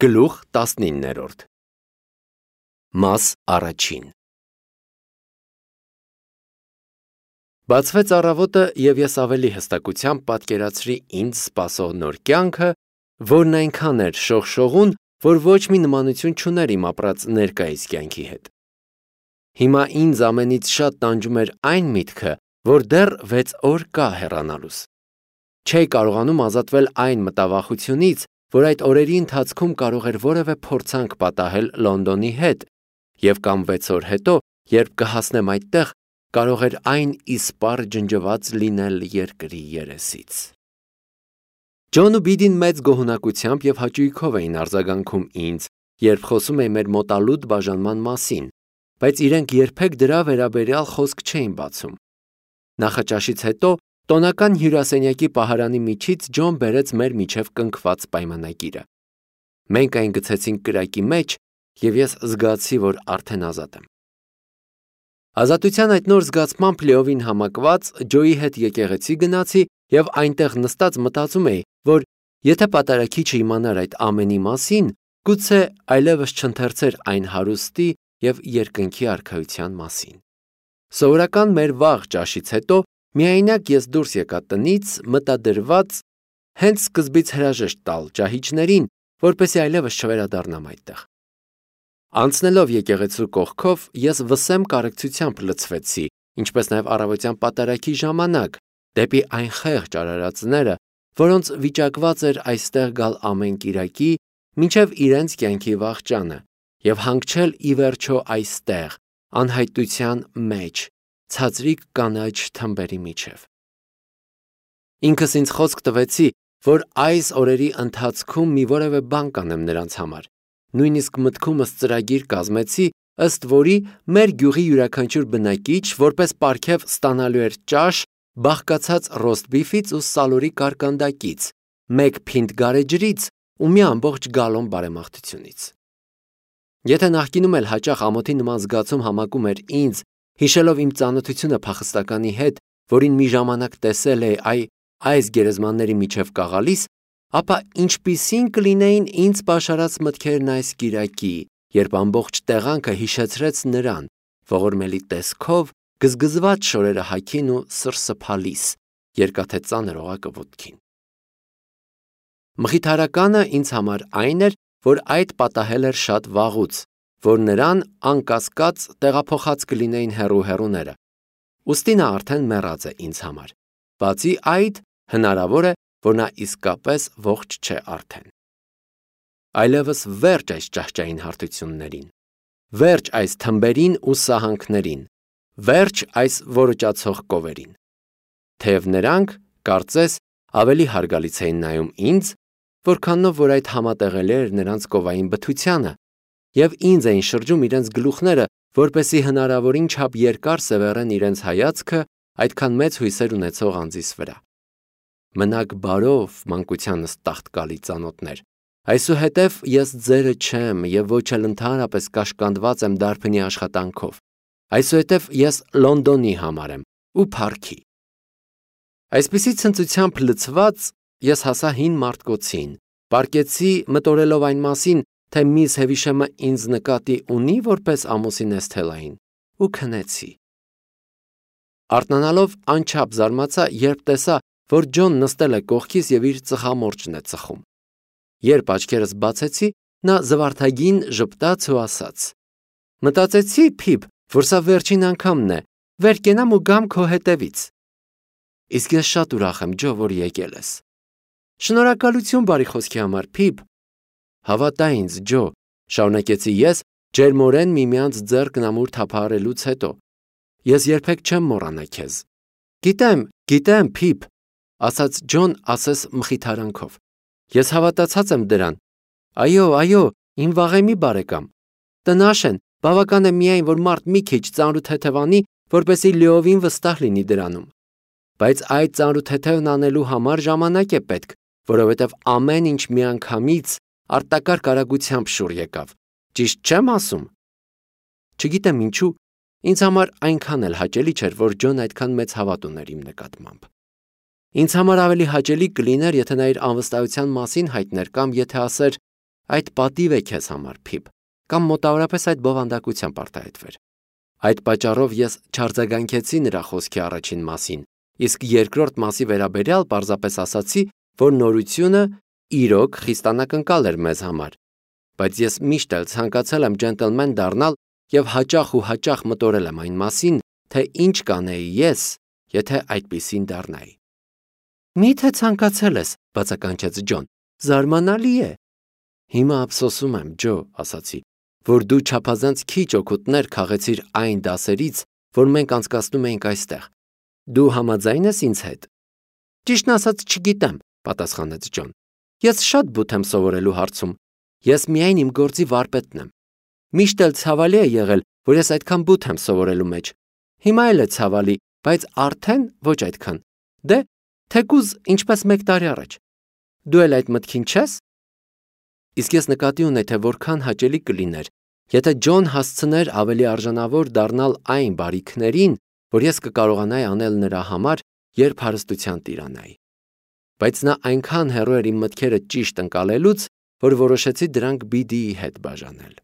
Գլուխ 19 Մաս առաջին Բացվեց առավոտը և ես ավելի հստակությամբ պատկերացրի ինձ սպասող նոր կյանքը, որն այնքան էր շողշողուն, որ ոչ մի նմանություն չուներ իմ ապրած ներկայիս կյանքի հետ։ Հիմա ինձ ամենից շատ տանջում էր այն միտքը, որ դեռ 6 օր կա հեռանալուս։ Չէի կարողանում ազատվել այն մտավախությունից, որ այդ օրերի ընթացքում կարող էր որևէ փորձանք պատահել Լոնդոնի հետ, և կամ 6 օր հետո, երբ կհասնեմ այդտեղ, կարող էր այն իսպառ ջնջված լինել երկրի երեսից։ Ջոն ու Բիդին մեծ գոհունակությամբ և հաճույքով էին արձագանքում ինձ, երբ խոսում էի մեր մոտալուտ բաժանման մասին, բայց իրենք երբեք դրա վերաբերյալ խոսք չէին բացում։ Նախաճաշից հետո տոնական հյուրասենյակի պահարանի միջից Ջոն բերեց մեր միջև կնքված պայմանագիրը։ Մենք այն գցեցինք կրակի մեջ, և ես զգացի, որ արդեն ազատ եմ։ Ազատության այդ նոր զգացմամբ լիովին համակված Ջոյի հետ եկեղեցի գնացի և այնտեղ նստած մտածում էի, որ եթե պատարագիչը իմանար այդ ամենի մասին, գուցե այլևս չընթերցեր այն հարուստի և երկնքի արքայության մասին։ Սովորական մեր վաղ ճաշից հետո միայնակ ես դուրս եկա տնից, մտադրված հենց սկզբից հրաժեշտ տալ ճահիճներին, որպեսզի այլևս չվերադառնամ այդտեղ։ Անցնելով եկեղեցու կողքով, ես վսեմ կարեկցությամբ լցվեցի, ինչպես նաև առավոտյան պատարագի ժամանակ, դեպի այն խեղճ արարածները, որոնց վիճակված էր այստեղ գալ ամեն կիրակի, մինչև իրենց կյանքի վախճանը, և հանգչել ի վերջո այստեղ, անհայտության մեջ, ցածրիկ կանաչ թմբերի միջև։ Ինքս ինձ խոսք տվեցի, որ այս օրերի ընթացքում մի որևէ բան կանեմ նրանց համար, նույնիսկ մտքումս ծրագիր կազմեցի, ըստ որի մեր գյուղի յուրաքանչյուր բնակիչ որպես պարգև ստանալու էր ճաշ, բաղկացած ռոստբիֆից ու սալորի կարկանդակից, 1 փինտ գարեջրից ու մի ամբողջ գալոն բարեմաղթությունից։ Եթե նախկինում էլ հաճախ ամոթի նման զգացում համակում էր ինձ, հիշելով իմ ծանոթությունը փախստականի հետ, որին մի ժամանակ տեսել էի այս գերեզմանների միջև կաղալիս, ապա ինչպիսին կլինեին ինձ պաշարած մտքերն այս կիրակի, երբ ամբողջ տեղանքը հիշեցրեց նրան, ողորմելի տեսքով, գզգզված շորերը հագին ու սրսփալիս, երկաթե ծանր օղակը ոտքին։ Մխիթարականը ինձ համար այն էր, որ այդ պատահել էր շատ վաղուց, որ նրան անկասկած տեղափոխած կլինեին հեռու-հեռուները, ուստի նա արդեն մեռած է ինձ համար, բացի այդ, հնարավոր է, որ նա իսկապես ողջ չէ արդեն։ Այլևս վերջ այս ճահճային հարթություններին, վերջ այս թմբերին ու սահանքներին, վերջ այս որոճացող կովերին։ Թեև նրանք, կարծես, ավելի հարգալից էին նայում ինձ, որքանով որ այդ համատեղելի էր նրանց կովային բթությանը, և ինձ էին շրջում իրենց գլուխները, որպեսզի հնարավորին չափ երկար սևեռեն իրենց հայացքը այդքան մեծ հույսեր ունեցող անձիս վրա։ Մնաք բարով, մանկությանս տաղտկալի ծանոթներ, այսուհետև ես ձերը չեմ և ոչ էլ ընդհանրապես կաշկանդված եմ դարբնի աշխատանքով, այսուհետև ես Լոնդոնի համար եմ ու փառքի։ Այսպիսի ցնծությամբ լցված ես հասա հին մարդկոցին, պառկեցի մտորելով այն մասին, թե միս Հևիշեմը ինձ նկատի ունի որպես ամուսին Էսթելային, ու քնեցի։ Արթնանալով անչափ զարմացա, երբ տեսա, որ Ջոն նստել է կողքիս և իր ծխամորճն է ծխում։ Երբ աչքերս բացեցի, նա զվարթագին ժպտաց ու ասաց. «Մտածեցի, Փիբ, որ սա վերջին անգամն է, վեր կենամ ու գամ քո հետևից»։ Իսկ ես շատ ուրախ եմ, Ջո, որ եկել ես։ Շնորհակալություն բարի խոսքի համար, Փիբ։ Հավատա ինձ, Ջո, շարունակեցի ես, ջերմորեն միմյանց ձեռքն ամուր թափահարելուց հետո։ Ես երբեք չեմ մոռանա քեզ։ Գիտեմ, Փիբ, ասաց Ջոն ասես մխիթարանքով։ Ես հավատացած եմ դրան։ Այո, իմ վաղեմի բարեկամ։ Տնաշ են, բավական է միայն, որ մարդ մի քիչ ծանրութեթևանի, որպեսզի լիովին վստահ լինի դրանում։ Բայց այդ ծանրութեթևն անելու համար ժամանակ է պետք, որովհետև ամեն ինչ միանգամից արտակարգ արագությամբ շուռ եկավ։ Ճիշտ չեմ ասում։ Չգիտեմ ինչու, ինձ համար այնքան էլ հաճելի չէր, որ Ջոն այդքան մեծ հավատ ուներ իմ նկատմամբ։ Ինձ համար ավելի հաճելի կլիներ, եթե նա իր անվստահության մասին հայտներ կամ եթե ասեր. այդ պատիվ է քեզ համար, Փիփ, կամ մոտավորապես այդ բովանդակությամբ արտահայտվեր։ Այդ պատճառով ես չարձագանքեցի նրա խոսքի առաջին մասին, իսկ երկրորդ մասի վերաբերյալ պարզապես ասացի, որ նորությունը իրոք խիստ անակնկալ էր մեզ համար, բայց ես միշտ էլ ցանկացել եմ ջենտլմեն դառնալ եւ հաճախ մտորել եմ այն մասին, թե ինչ կանեի ես, եթե այդպիսին դառնայի։ Մի՞թե ցանկացել ես, բացականչեց Ջոն, զարմանալի է։ Հիմա ափսոսում եմ, Ջո, ասացի, որ դու չափազանց քիչ օգուտներ քաղեցիր այն դասերից, որ մենք անցկացնում էինք այստեղ։ Դու համաձայն ես ինձ հետ։ Ճիշտն ասած չգիտեմ, պատասխանեց Ջոն։ Ես շատ բութ եմ սովորելու հարցում։ Ես միայն իմ գործի վարպետն եմ։ Միշտ էլ ցավալի է եղել, որ ես այդքան բութ եմ սովորելու մեջ։ Հիմա էլ է ցավալի, բայց արդեն ոչ այդքան։ Դե, թեկուզ ինչպես 1 տարի առաջ։ Դու էլ այդ մտքին չես։ Իսկ ես նկատի ունեի, թե որքան հաճելի կլիներ, եթե Ջոն հասցներ ավելի արժանավոր դառնալ այն բարիքներին, որ ես կկարողանայի անել նրա համար, երբ հարստության տիրանայի։ Բայց նա այնքան հեռու էր իմ մտքերը ճիշտ ընկալելուց, որ որոշեցի դրանք Բիդիի հետ բաժանել։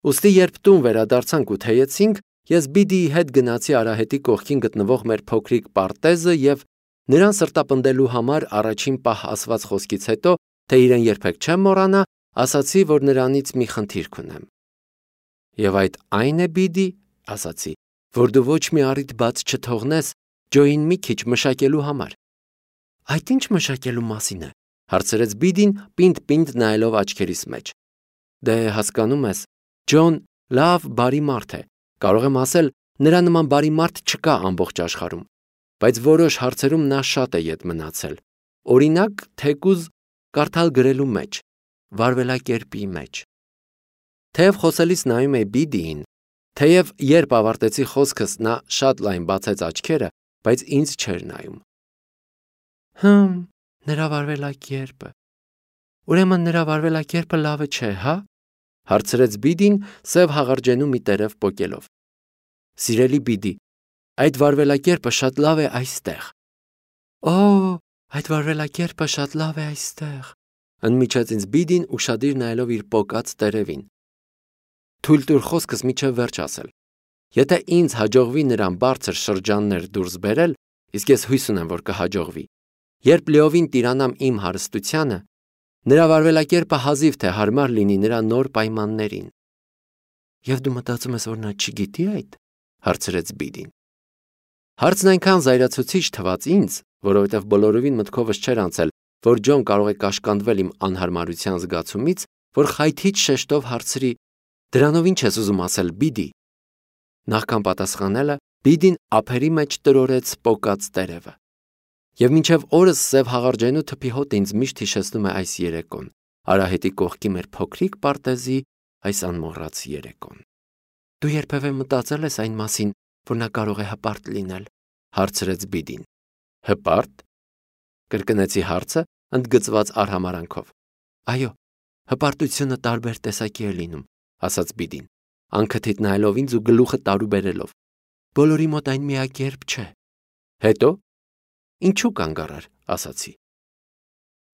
Ուստի երբ տուն վերադարձանք ու թեյեցինք, ես Բիդիի հետ գնացի արահետի կողքին գտնվող մեր փոքրիկ պարտեզը եւ նրան սրտապնդելու համար առաջին պահ ասված խոսքից հետո, թե իրեն երբեք չեմ մոռանա, ասացի, որ նրանից մի խնդիր կունեմ։ Եվ այդ այն է, Բիդի, ասացի, որ դու ոչ մի առիթ բաց չթողնես Ջոին մի քիչ մշակելու համար։ Այդ ինչ մշակելու մասին է, հարցրեց Բիդին, պինդ նայելով աչքերիս մեջ։ Դե հասկանում ես, Ջոն լավ բարի մարդ է, կարող եմ ասել, նրա նման բարի մարդ չկա ամբողջ աշխարհում, բայց որոշ հարցերում նա շատ է ետ մնացել։ Օրինակ, թեկուզ կարդալ գրելու մեջ, վարվելակերպի մեջ։ Թեև խոսելիս նայում էի Բիդիին, թեև երբ ավարտեցի խոսքս նա շատ լայն բացեց աչքերը, բայց ինձ չէր նայում։ Նրա վարվելակերպը։ Ուրեմն նրա վարվելակերպը լավը չէ, հա? Հարցրեց Բիդին սև հաղարջենու մի տերև պոկելով։ Սիրելի Բիդի, այդ վարվելակերպը շատ լավ է այստեղ։ Օ, այդ վարվելակերպը շատ լավ է այստեղ։ Ընդմիջեց ինձ Բիդին ուշադիր նայելով իր պոկած տերևին։ Թույլ տուր խոսքս միջև վերջ ասել։ Եթե ինձ հաջողվի նրան բարձր շրջաններ դուրս բերել, իսկ ես հույս ունեմ, որ կհաջողվի, երբ լիովին տիրանամ իմ հարստությանը, նրա վարվելակերպը հազիվ թե հարմար լինի նրա նոր պայմաններին։ Եվ դու մտածում ես, որ նա չգիտի այդ, հարցրեց Բիդին։ Հարցն այնքան զայրացուցիչ թվաց ինձ, որովհետև բոլորովին մտքովս չէր անցել, որ Ջոն կարող է կաշկանդվել իմ անհարմարության զգացումից, որ խայթիչ շեշտով հարցրի. Դրանով ինչ ես ուզում ասել, Բիդի։ Նախքան պատասխանելը, Բիդին ափերի մեջ տրորեց պոկած տերևը։ Եվ մինչև օրս սև հաղարջենու թփի հոտ ինձ միշտ հիշեցնում է այս երեկոն, արահետի կողքի մեր փոքրիկ պարտեզի այս անմոռաց երեկոն։ Դու երբևէ մտածել ես այն մասին, որ նա կարող է հպարտ լինել, հարցրեց Բիդին։ Հպարտ։ Կրկնեցի հարցը, ընդգծված արհամարանքով։ Այո, հպարտությունը տարբեր տեսակի է լինում, ասաց Բիդին, անքթիթ նայելով ինձ ու գլուխը տարուբերելով։ Բոլորի մոտ այն միակերպ չէ։ Հետո ինչու կանգառար, ասացի։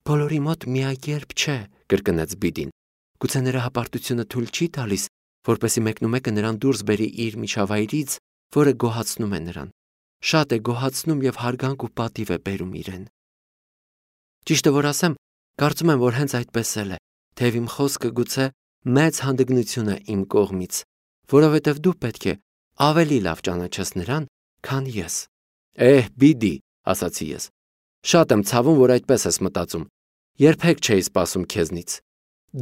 Բոլորի մոտ միակերպ չէ, կրկնեց Բիդին։ Գուցե նրա հպարտությունը թույլ չի տալիս, որպեսզի մեկնումեկը նրան դուրս բերի իր միջավայրից, որը գոհացնում է նրան։ Շատ է գոհացնում եւ հարգանք ու պատիվ է բերում իրեն։ Ճիշտը որ ասեմ, կարծում եմ, որ հենց այդպես էլ է, թեև իմ խոսքը գուցե մեծ հանդգնություն է իմ կողմից, որովհետև դու պետք է ավելի լավ ճանաչես նրան, քան ես։ Բիդի, ասացի ես։ Շատ եմ ցավում, որ այդպես ես մտածում։ Երբեք չէի սպասում քեզնից։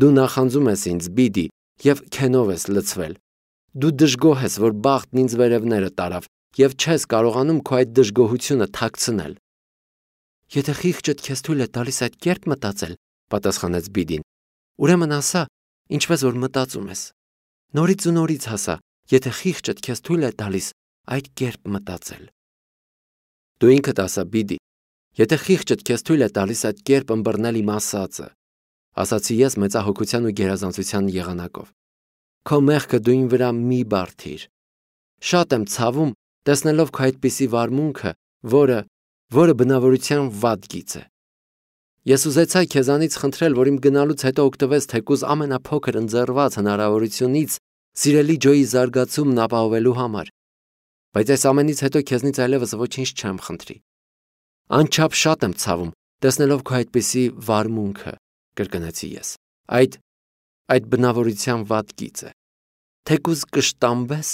Դու նախանձում ես ինձ, Բիդի, եւ քենով ես լցվել։ Դու դժգոհ ես, որ բախտն ինձ վերևները տարավ եւ չես կարողանում քո այդ դժգոհությունը թաքցնել։ Եթե խիղճդ քեզ թույլ է տալիս այդ կերպ մտածել, պատասխանեց Բիդին, ուրեմն ասա, ինչպես որ մտածում ես։ Նորից ու նորից ասա, եթե խիղճդ քեզ թույլ է տալիս այդ կերպ մտածել։ Դու ինքդ ասա, Բիդի, եթե խիղճդ քեզ թույլ է տալիս այդ կերպ ըմբռնել իմ ասածը, ասացի ես մեծահոգության ու գերազանցության եղանակով։ Քո մեղքը դու ին վրա մի բարդիր։ Շատ եմ ցավում, տեսնելով քո այդպիսի վարմունքը, որը բնավորության վատ գիծ է։ Ես ուզեցա քեզանից խնդրել, որ իմ գնալուց հետո օգտվես թեկուզ ամենափոքր ընձեռված հնարավորությունից սիրելի Ջոյի զարգացումն ապահովելու համար։ Բայց այս ամենից հետո քեզնից այլևս ոչինչ չեմ խնդրի։ Անչափ շատ եմ ցավում, տեսնելով քո այդպիսի վարմունքը, կրկնեցի ես։ Այդ բնավորության վատ գիծ է։ Թեկուզ կշտամբես,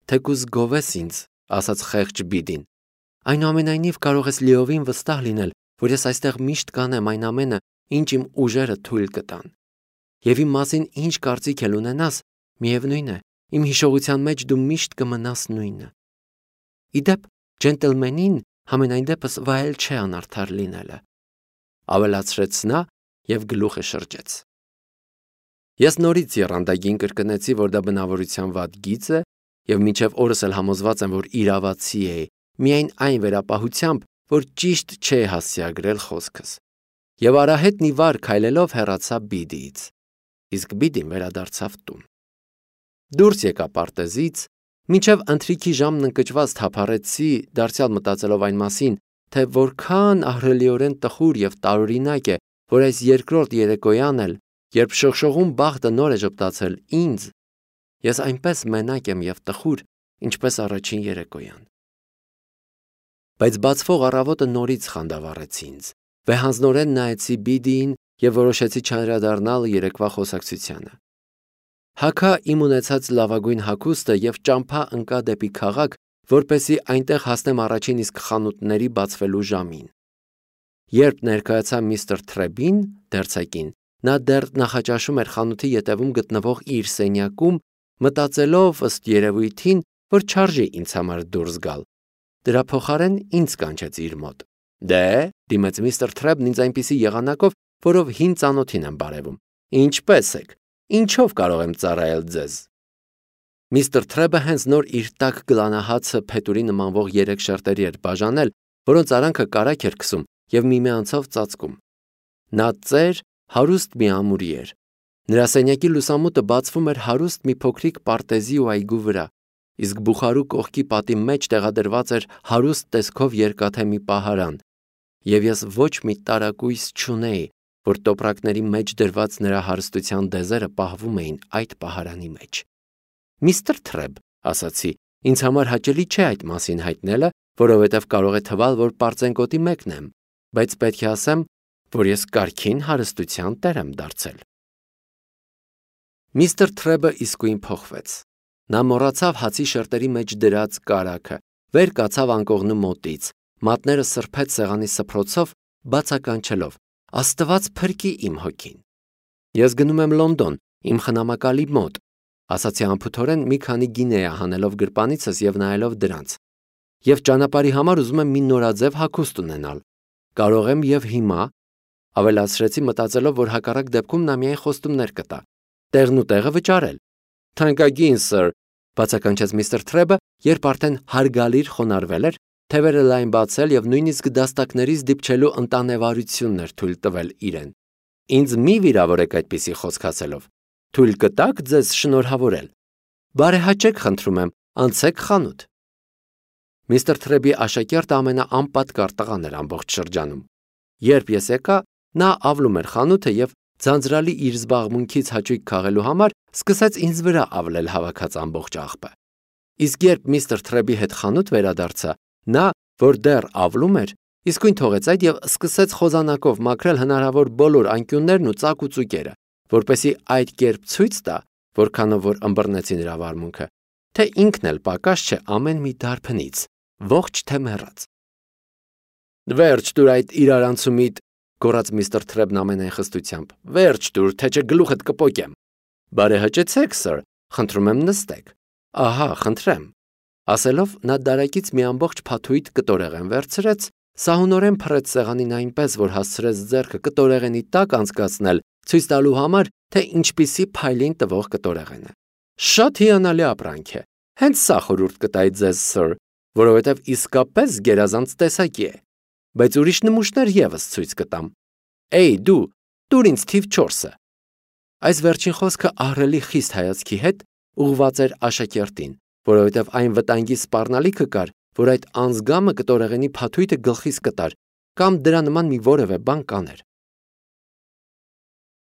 թեկուզ գովես ինձ, ասաց խեղճ Բիդին։ Այնուամենայնիվ կարող ես լիովին վստահ լինել, որ ես այստեղ միշտ կանեմ այն ամենը, ինչ իմ ուժերը թույլ կտան։ Եվ իմ մասին ինչ կարծիք էլ ունենաս, միևնույն է, իմ հիշողության մեջ դու միշտ կմնաս նույնը։ Իդեպ, ջենտլմենին համենայն դեպս վայել չէ անարդար լինելը, ավելացրեց նա և գլուխը շրջեց։ Ես նորից եռանդագին կրկնեցի, որ դա բնավորության վատ գիծ է և մինչև օրս էլ համոզված եմ, որ իրավացի էի, միայն այն վերապահությամբ, որ ճիշտ չէ հասցեագրել խոսքս։ Եվ արահետն ի վար քայլելով հեռացա Բիդիից, իսկ Բիդին վերադարձավ տուն։ Դուրս եկա պարտեզից, մինչև ընթրիքի ժամն ընկճված թափառեցի, դարձյալ մտածելով այն մասին, թե որքան ահռելիորեն տխուր և տարօրինակ է, որ այս երկրորդ երեկոյան էլ, երբ շողշողուն բախտը նոր է ժպտացել ինձ, ես այնպես մենակ եմ և տխուր, ինչպես առաջին երեկոյան։ Բայց բացվող առավոտը նորից խանդավառեց ինձ, վեհանձնորեն նայեցի Բիդիին և որոշեցի չանդրադառնալ երեկվա խոսակցությանը։ Հագա իմ ունեցած լավագույն հագուստը և ճամփա ընկա դեպի քաղաք, որպեսզի այնտեղ հասնեմ առաջին իսկ խանութների բացվելու ժամին։ Երբ ներկայացա միստր Թրեբին, դերձակին, նա դեռ նախաճաշում էր խանութի ետևում գտնվող իր սենյակում, մտածելով ըստ երևույթին, որ չարժի ինձ համար դուրս գալ։ Դրա փոխարեն ինձ կանչեց իր մոտ։ Դե, դիմեց միստր Թրեբն ինձ այնպիսի եղանակով, որով հին ծանոթին եմ բարևում։ Ինչպե՞ս եք։ Ինչով կարող եմ ծառայել ձեզ։ Միստր Թրեբը հենց նոր իր տաք գլանահացը փետուրի նմանվող 3 շերտերի էր բաժանել, որոնց արանքը կարագ էր քսում և միմյանցով ծածկում։ Նա ծեր, հարուստ մի ամուրի էր։ Նրա սենյակի լուսամուտը բացվում էր հարուստ մի փոքրիկ պարտեզի ու այգու վրա, իսկ բուխարու կողքի պատի մեջ տեղադրված էր հարուստ տեսքով երկաթե մի պահարան, և ես ոչ մի տարակույս չունեի, որ տոպրակների մեջ դրված նրա հարստության դեզերը պահվում էին այդ պահարանի մեջ։ Միստր Թրեբ, ասացի, ինձ համար հաճելի չէ այդ մասին հայտնելը, որովհետև կարող է թվալ, որ պարծենկոտի մեկն եմ, բայց պետք է ասեմ, որ ես կարգին հարստության տեր եմ դարձել։ Միստր Թրեբը իսկույն փոխվեց։ Նա մոռացավ հացի շերտերի մեջ դրած կարագը, վեր կացավ անկողնու մոտից, մատները սրբեց սեղանի սփռոցով, բացականչելով. Աստված փրկի իմ հոգին։ Ես գնում եմ Լոնդոն, իմ խնամակալի մոտ, ասացի անփութորեն մի քանի գինեա հանելով գրպանիցս և նայելով դրանց։ Եվ ճանապարհի համար ուզում եմ մի նորաձև հագուստ ունենալ։ Կարող եմ և հիմա, ավելացրեցի մտածելով, որ հակառակ դեպքում նա միայն խոստումներ կտա, տեղն ու տեղը վճարել։ Թանկագին սըր, բացականչեց միստր Թրեբը, երբ արդեն հարգալիր խոնարհվել էր, թևերը լայն բացել և նույնիսկ դաստակներից դիպչելու ընտանեվարությունն էր թույլ տվել իրեն։ Ինձ մի վիրավորեք այդպիսի խոսք ասելով։ Թույլ կտաք ձեզ շնորհավորել։ Բարեհաճեք խնդրում եմ, անցեք խանութ։ Միստր Թրեբի աշակերտը ամենաանպատկառ տղան էր ամբողջ շրջանում։ Երբ ես եկա, նա ավլում էր խանութը և ձանձրալի իր զբաղմունքից հաճույք քաղելու համար սկսեց ինձ վրա ավլել հավաքած ամբողջ աղբը։ Իսկ երբ միստր Թրեբի հետ խանութ վերադարձա, նա, որ դեռ ավլում էր, իսկույն թողեց այդ և սկսեց խոզանակով մաքրել հնարավոր բոլոր անկյուններն ու ծակ ու ծուկերը, որպեսզի այդ կերպ ցույց տա, որքանով որ ըմբռնեցի նրա վարմունքը, թե ինքն էլ պակաս չէ ամեն մի դարբնից, ողջ թե մեռած։ Վերջ տուր այդ իրարանցումիդ, գոռաց միստր Թրեբն ամենայն խստությամբ։ Վերջ տուր, թե չէ գլուխդ կպոկեմ։ Բարեհաճեցեք, սըր, խնդրում եմ նստեք։ Ահա, խնդրեմ։ Ասելով նա դարակից մի ամբողջ փաթույթ կտորեղեն վերցրեց, սահունորեն փռեց սեղանին այնպես, որ հասցրեց ձեռքը կտորեղենի տակ անցկացնել, ցույց տալու համար, թե ինչպիսի փայլին տվող կտորեղեն է։ Շատ հիանալի ապրանք է։ Հենց սա խորհուրդ կտայի ձեզ, սըր, որովհետև իսկապես գերազանց տեսակի է։ Բայց ուրիշ նմուշներ ևս ցույց կտամ։ Էй, դու, տուր ինձ թիվ 4-ը։ Այս վերջին խոսքը ահռելի խիստ հայացքի հետ ուղղված էր աշակերտին, որովհետև այն վտանգի սպառնալիքը կար, որ այդ անձգամը կտորեղենի փաթույթը գլխիս կտար կամ դրա նման մի որևէ բան կաներ։